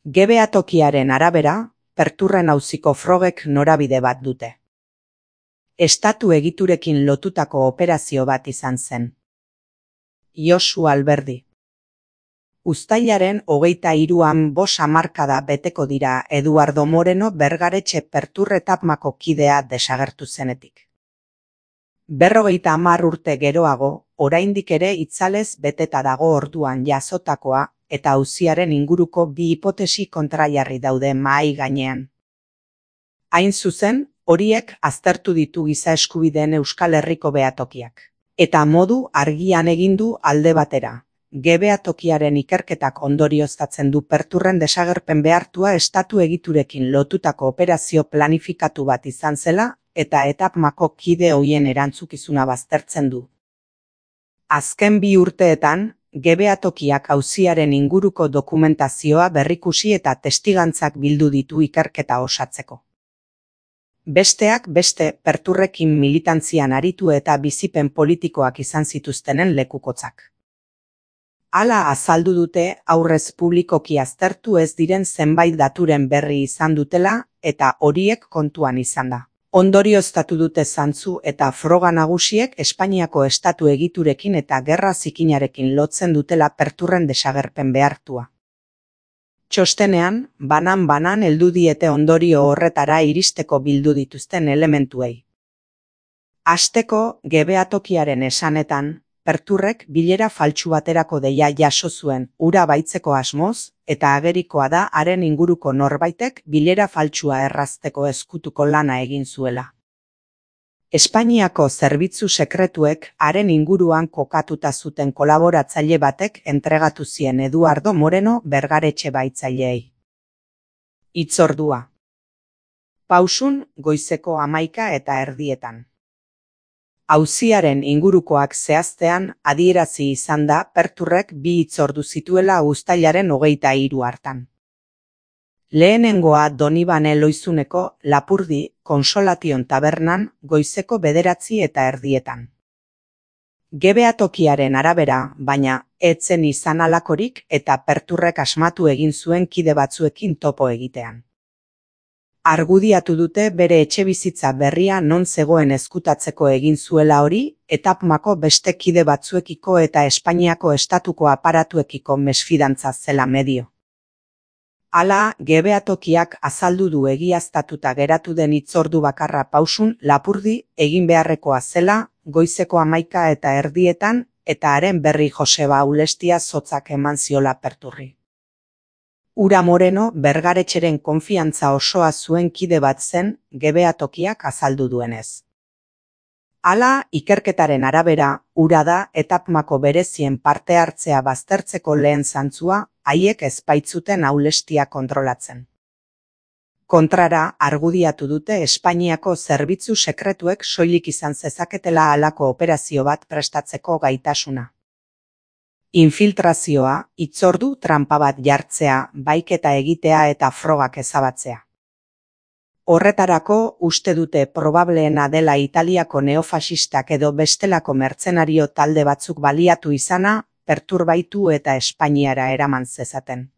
GBA tokiaren arabera, Perturren auziko frogek norabide bat dute. Estatu egiturekin lotutako operazio bat izan zen. Josu Alberdi. Uztailaren 23an 5 hamarkada beteko dira Eduardo Moreno Bergaretxe Pertur etapmako kidea desagertu zenetik. 50 urte geroago, oraindik ere itzalez beteta dago orduan jasotakoa eta auziaren inguruko bi hipotesi kontrajarri daude mahai gainean. Hain zuzen, horiek aztertu ditu giza eskubideen Euskal Herriko behatokiak. Eta modu argian egin du alde batera. GBA tokiaren ikerketak ondorioztatzen du Perturren desagerpen behartua estatu egiturekin lotutako operazio planifikatu bat izan zela eta etapmako kide hoien erantzukizuna baztertzen du. Azken 2 urteetan, GBA tokiak auziaren inguruko dokumentazioa berrikusi eta testigantzak bildu ditu ikerketa osatzeko. Besteak beste Perturrekin militantzian aritu eta bizipen politikoak izan zituztenen lekukotzak. Hala azaldu dute aurrez publikoki aztertu ez diren zenbait daturen berri izan dutela eta horiek kontuan izan da. Ondorioztatu dute zantzu eta froga nagusiek Espainiako estatu egiturekin eta gerra zikinarekin lotzen dutela Perturren desagerpen behartua. Txostenean, banan heldu diete ondorio horretara iristeko bildu dituzten elementuei. Hasteko, GBA tokiaren esanetan, Perturrek bilera faltsu baterako deia jaso zuen hura baitzeko asmoz, eta agerikoa da haren inguruko norbaitek bilera faltsua errazteko ezkutuko lana egin zuela. Espainiako zerbitzu sekretuek haren inguruan kokatuta zuten kolaboratzaile batek entregatu zien Eduardo Moreno Bergaretxe baitzaileei. Hitzordua. Pausun, goizeko 11:30. Auziaren ingurukoak zehaztean adierazi izan da Perturrek 2 hitzordu zituela uztailaren 23 hartan. Lehenengoa Donibane Loizuneko Lapurdi Konsolation tabernan goizeko 9:30. GBA tokiaren arabera, baina, etzen izan halakorik eta Perturrek asmatu egin zuen kide batzuekin topo egitean. Argudiatu dute bere etxebizitza berria non zegoen ezkutatzeko egin zuela hori, etapmako beste kide batzuekiko eta Espainiako estatuko aparatuekiko mesfidantza zela medio. Hala, GBA tokiak azaldu du egiaztatuta geratu den hitzordu bakarra Pausun Lapurdi egin beharrekoa zela, goizeko 11:30 eta haren berri Joseba Ulestia zotzak eman ziola Perturri. Ura Moreno Bergaretxeren konfiantza osoa zuen kide bat zen GBA tokiak azaldu duenez. Hala, ikerketaren arabera, ura da etapmako berezien parte hartzea baztertzeko lehen zantzua, haiek ez baitzuten Ulestia kontrolatzen. Kontrara, argudiatu dute Espainiako zerbitzu sekretuek soilik izan zezaketela halako operazio bat prestatzeko gaitasuna. Infiltrazioa, hitzordu tranpa bat jartzea, baiketa egitea eta frogak ezabatzea. Horretarako uste dute probableena dela Italiako neofasistak edo bestelako mertzenario talde batzuk baliatu izana, Perturbaitu eta Espainiara eraman zezaten.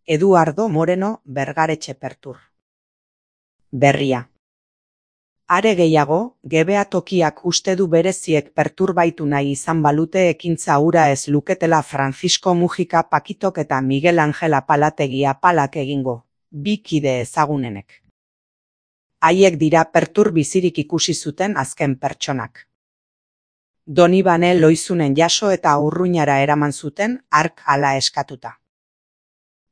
Eduardo Moreno Bergaretxe Pertur. Berria. Are gehiago, GBA tokiak uste du bereziek Perturbaitu nahi izan balute ekintza hura ez luketela Francisco Mujika Pakitok eta Miguel Angel Apalategi Apalak egingo, 2 kide ezagunenek. Haiek dira Pertur bizirik ikusi zuten azken pertsonak. Donibane Loizunen jaso eta Urruñara eraman zuten hark hala eskatuta.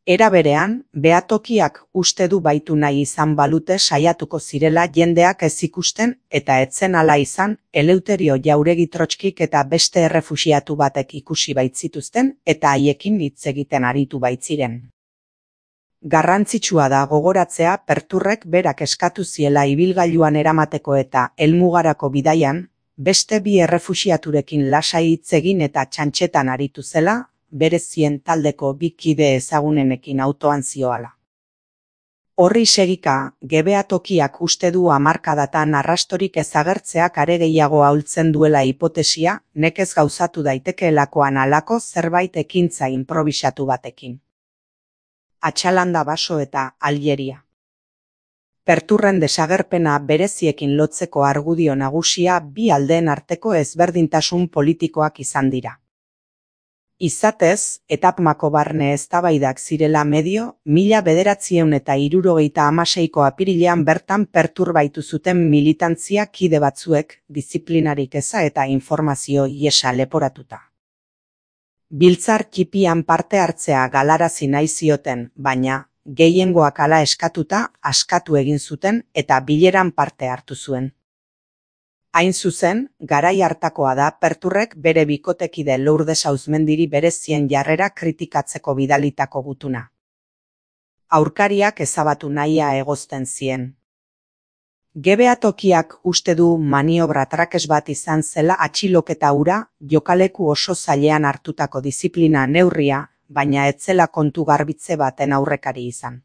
Era berean, behatokiak uste du baitu nahi izan balute saiatuko zirela jendeak ez ikusten eta etzen hala izan Eleuterio Jauregi Trotskik eta beste errefuxiatu batek ikusi baitzituzten eta haiekin hitz egiten aritu baitziren. Garrantzitsua da gogoratzea Perturrek berak eskatu ziela ibilgailuan eramateko eta helmugarako bidaian, beste 2 errefuxiaturekin lasai hitz egin eta txantxetan aritu zela, berezien taldeko 2 kide ezagunenekin autoan zioala. Horri segika, GBA tokiak uste du hamarkadatan arrastorik ezagertzeak are gehiago ahultzen duela hipotesia, nekez gauzatu daitekeelakoan halako zerbait ekintza inprobisatu batekin. Atxalanda Baso eta Aljeria. Perturren desagerpena bereziekin lotzeko argudio nagusia bi aldeen arteko ezberdintasun politikoak izan dira. Izatez, etapmako barne eztabaidak zirela medio, 1976ko apirilean bertan perturbaitu zuten militantzia kide batzuek, diziplinarik eza eta informazio ihesa leporatuta. Biltzar txipian parte hartzea galarazi nahi zioten, baina, gehiengoak hala eskatuta, askatu egin zuten eta bileran parte hartu zuen. Hain zuzen, garai hartakoa da Perturrek bere bikotekide Lourdes Auzmendiri berezien jarrera kritikatzeko bidalitako gutuna. Aurkariak ezabatu nahia egozten zien. GBA tokiak uste du maniobra trakes bat izan zela atxiloketa hura, jokaleku oso zailean hartutako diziplina neurria, baina ez zela kontu garbitze baten aurrekari izan.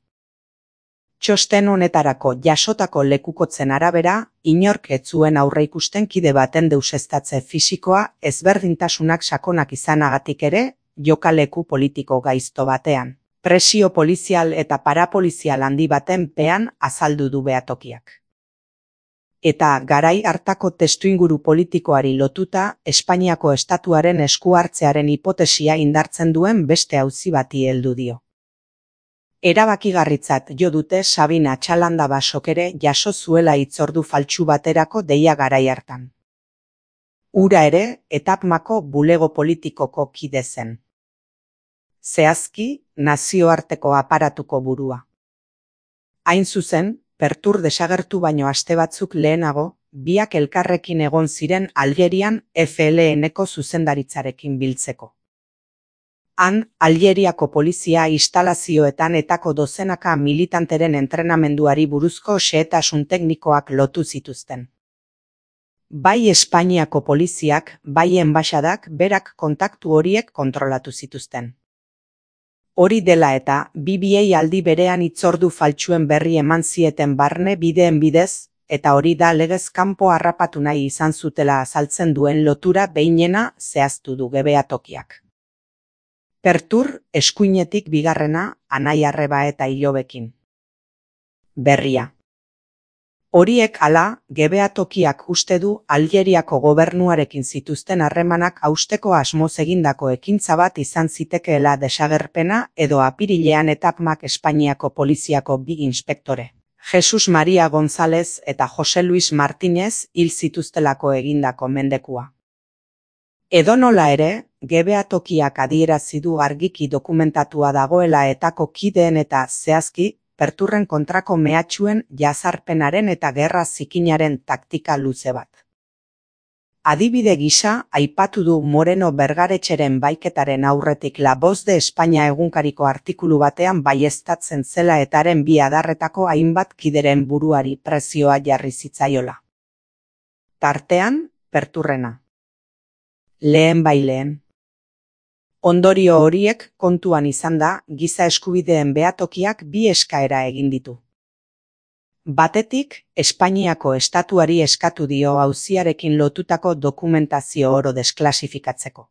Txosten honetarako jasotako lekukotzen arabera, inork ez zuen aurreikusten kide baten deuseztatze fisikoa ezberdintasunak sakonak izanagatik ere, jokaleku politiko gaizto batean, presio polizial eta parapolizial handi baten pean azaldu du behatokiak. Eta garai hartako testuinguru politikoari lotuta, Espainiako estatuaren esku hartzearen hipotesia indartzen duen beste auzi bati heldu dio. Erabakigarritzat jo dute Sabin Atxalanda Basok ere jaso zuela hitzordu faltsu baterako deia garai hartan. Hura ere, etapmako bulego politikoko kide zen. Zehazki, nazioarteko aparatuko burua. Hain zuzen, Pertur desagertu baino aste batzuk lehenago, biak elkarrekin egon ziren Aljerian FLN-eko zuzendaritzarekin biltzeko. Han, Aljeriako polizia instalazioetan etako dozenaka militanteren entrenamenduari buruzko xehetasun teknikoak lotu zituzten. Bai Espainiako poliziak, bai enbaxadak berak kontaktu horiek kontrolatu zituzten. Hori dela eta, biei aldi berean hitzordu faltsuen berri eman zieten barne bideen bidez, eta hori da legez kanpo harrapatu nahi izan zutela azaltzen duen lotura behinena zehaztu du GBA tokiak. Pertur, eskuinetik bigarrena, Anai-arreba eta Ilobekin. Berria. Horiek hala, GBA tokiak uste du Aljeriako gobernuarekin zituzten harremanak hausteko asmoz egindako ekintza bat izan zitekeela desagerpena edo apirilean etapmak Espainiako poliziako bi inspektore, Jesus Maria González eta Jose Luis Martínez hil zituztelako egindako mendekua. Edonola ere, GBA tokiak adierazi du argiki dokumentatua dagoela etako kideen eta zehazki, Perturren kontrako mehatxuen jazarpenaren eta gerra zikinaren taktika luze bat. Adibide gisa, aipatu du Moreno Bergaretxeren baiketaren aurretik La Voz de España egunkariko artikulu batean baieztatzen zela etaren bi adarretako hainbat kideren buruari prezioa jarri zitzaiola. Tartean, Perturrena. Lehen. Ondorio horiek kontuan izan da, giza eskubideen behatokiak bi eskaera egin ditu. Batetik, Espainiako estatuari eskatu dio auziarekin lotutako dokumentazio oro desklasifikatzeko.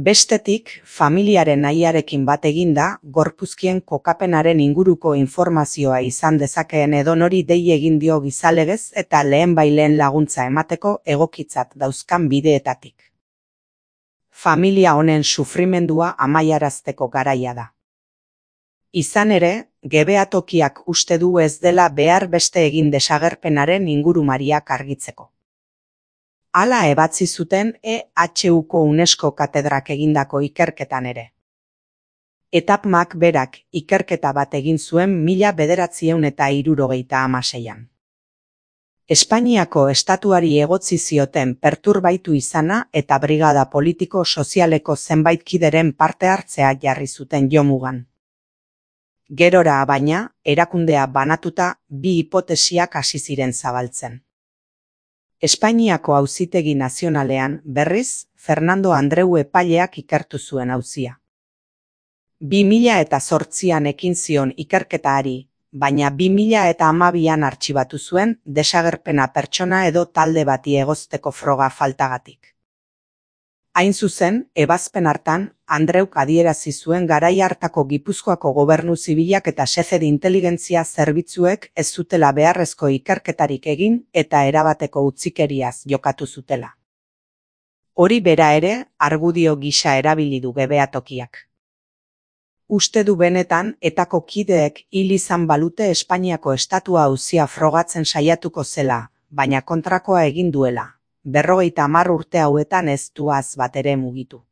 Bestetik, familiaren nahiarekin bat eginda, gorpuzkien kokapenaren inguruko informazioa izan dezakeen edonori dei egin dio gizalegez eta lehen laguntza emateko egokitzat dauzkan bideetatik. Familia honen sufrimendua amaiarazteko garaia da. Izan ere, GBA tokiak uste du ez dela behar beste egin desagerpenaren ingurumariak argitzeko. Hala ebatzi zuten EHUko UNESCO katedrak egindako ikerketan ere. Etapmak berak ikerketa bat egin zuen 1976an. Espainiako estatuari egotzi zioten perturbaitu izana eta brigada politiko sozialeko zenbait kideren parte hartzea jarri zuten jomugan. Gerora baina, erakundea banatuta bi hipotesiak hasi ziren zabaltzen. Espainiako Auzitegi Nazionalean, berriz, Fernando Andreu epaileak ikertu zuen auzia. 2008an ekin zion ikerketaari, baina 2012an artxibatu zuen desagerpena pertsona edo talde bati egozteko froga faltagatik. Hain zuzen, ebazpen hartan, Andreuk adierazi zuen garai hartako Gipuzkoako gobernu zibilak eta xefe de inteligentzia zerbitzuek ez zutela beharrezko ikerketarik egin eta erabateko utzikeriaz jokatu zutela. Hori bera ere, argudio gisa erabili du Gebeatokiak. Uste du benetan etako kideek hil izan balute Espainiako estatua auzia frogatzen saiatuko zela, baina kontrakoa egin duela. 50 urte hauetan ez duaz bat ere mugitu.